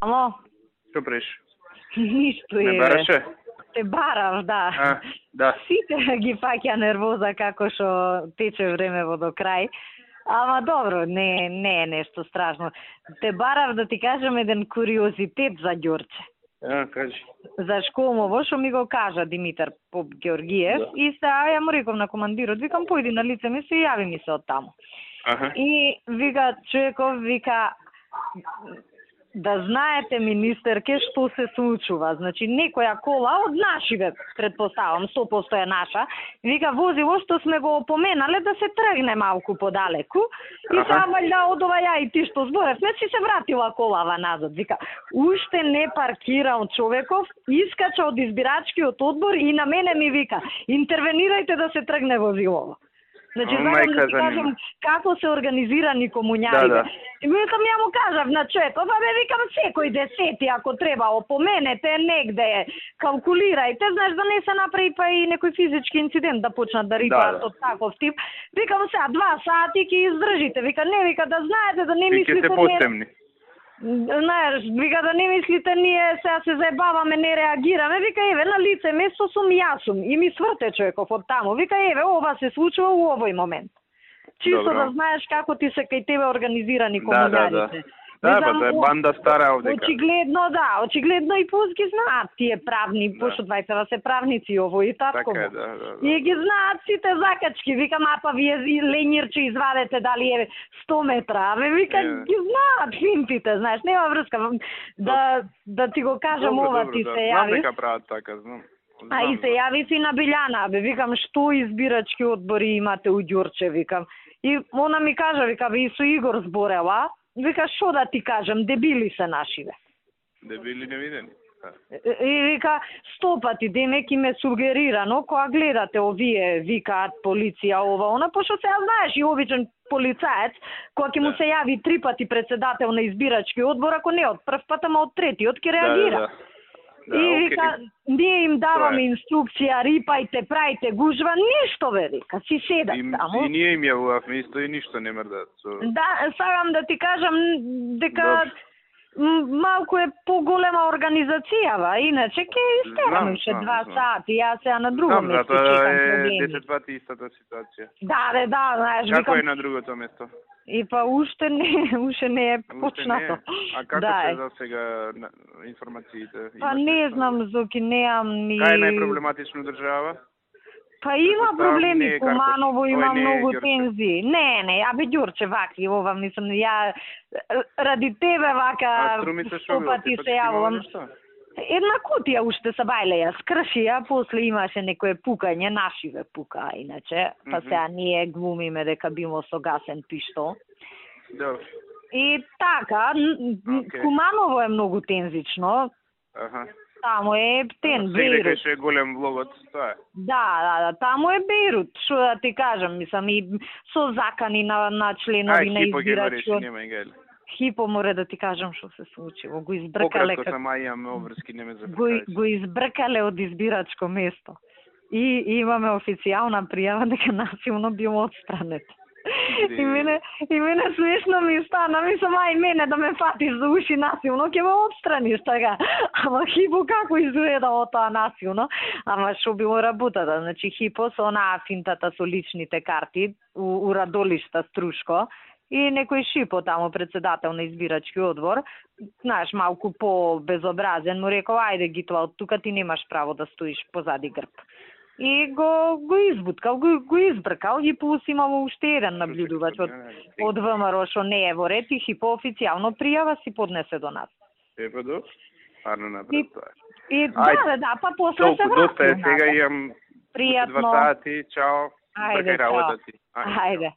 Ало? Што преш? Ништо е. Не бараше? Те барав, да. Да. Сите ги фаќа нервоза како што тече времево до крај. Ама добро, не е нешто страшно. Те барав да ти кажам еден куриозитет за Ѓорче. Кажи. За Школмово, што ми го кажа Димитар Поп Георгиев, да. И ја му реков на командирот, викам, појди на лице ми се јави ми се од таму. И вика, човеков, вика, да знаете, министерке, што се случува. Значи, некоја кола од нашиве, предпоставам, 100% е наша, вика, возило што сме го опоменале да се тргне малку подалеку, и сега вајда од ова ја и ти што зборевме, си се вратила колава назад. Вика, уште не паркирал човеков, искача од избирачкиот одбор и на мене ми вика, интервенирајте да се тргне возилово. Значи, сакам да ти кажам како се организирани комуњарите. И викам, ја му кажав на човекот, викам, секој десети, ако треба, опоменете негде, калкулирајте, знаеш, да не се направи па и некој физички инцидент да почнат да рипаат од таков тип. Викам, сега 2 сати ќе издржите. Вика, не, вика, да знаете, да не мислите... Ќе се постемни. Знаеш, вика, да не мислите, ние сега се заебаваме, не реагираме, вика, еве, на лице место сум јас и ми сврте човеков од таму, вика, еве, ова се случува у овој момент. Чисто да знаеш како ти се кај тебе организирани комуњарите. Да, па тоа е банда стара овдека. Очигледно и пус ги знаат тие правни, пошто двајцава се правници ово и татко. Така е, да. И ги знаат сите закачки, викам, апа вие ленирче извадете дали е 100 метра, вика, ги знаат финтите, знаеш, нема врска, да ти го кажам ова ти се јави. Знам дека прават така, знам. А и се јави си на Билјана, викам, што избирачки одбори имате у Ѓорче, викам. И она ми кажа, вика, и со Игор зборела, вика, што да ти кажам, дебили се нашиве. Дебили невидени. И вика, 100 пати, демек им е сугерирано, кога гледате овие, викаат полиција, ова, она, пошто сега знаеш и обичен полицаец, кога ќе му се јави 3 пати председател на избирачки одбор, ако не од прв пат, ама од третиот ќе реагира. И вика, ние им даваме инструкција, рипајте, прајте гужва, ништо бе, вика, си седат таму. И ние им јавувавме исто и ништо не мрдат. Да, сакам да ти кажам дека малку е поголема организацијава, иначе ќе истерам уште 2 сати, јас сега на друго место чекам проблеми. Знам, 10 пати истата ситуација. Да, знаеш, викам... Како е на другото место? И па уште не е почнато. А како се за сега информациите? Па не знам, Зоки, неам ни... Кај е најпроблематично држава? Па има проблеми, Куманово има многу тензии. Не, абе Ѓорче вакви, ова мислам, ја ради тебе вака 100 пати се јавувам. Една кутија уште се бајле ја скршија, после имаше некое пукање, нашиве пука, иначе, па сега ние глумиме дека било со гасен пиштол. И така, Куманово е многу тензично. Таму е Бейрут. Се дека е голем влогот, тоа е. Да, таму е Бейрут, што да ти кажам, мислам, и со закани на членови на избирачкиот. Хипо море да ти кажам што се случило. Го избркале го избркале од избирачко место. И имаме официјална пријава дека насилно било отстрането. И мене смешно ми стана, мислам, ај мене да ме фатиш за уши насилно, ќе ме отстраниш така. Ама Хипо како изгледало тоа насилно, ама што било работата, значи Хипо со онаа финтата со личните карти у Радолишта Струшко, и некој Шипо таму, председател на избирачки одбор, знаеш, малку по-безобразен, му рекол, ајде Гитва, од тука ти немаш право да стоиш позади грб. И го избуткал, го избркал, и плюс имало уште еден наблюдувач од ВМРО што не е во ред, и Хипо официјално пријава си поднесе до нас. Епа арно напред тоа. И да, па после се врати. Доста е, сега имам 2 сати, чао. Ајде, чао. Ајде.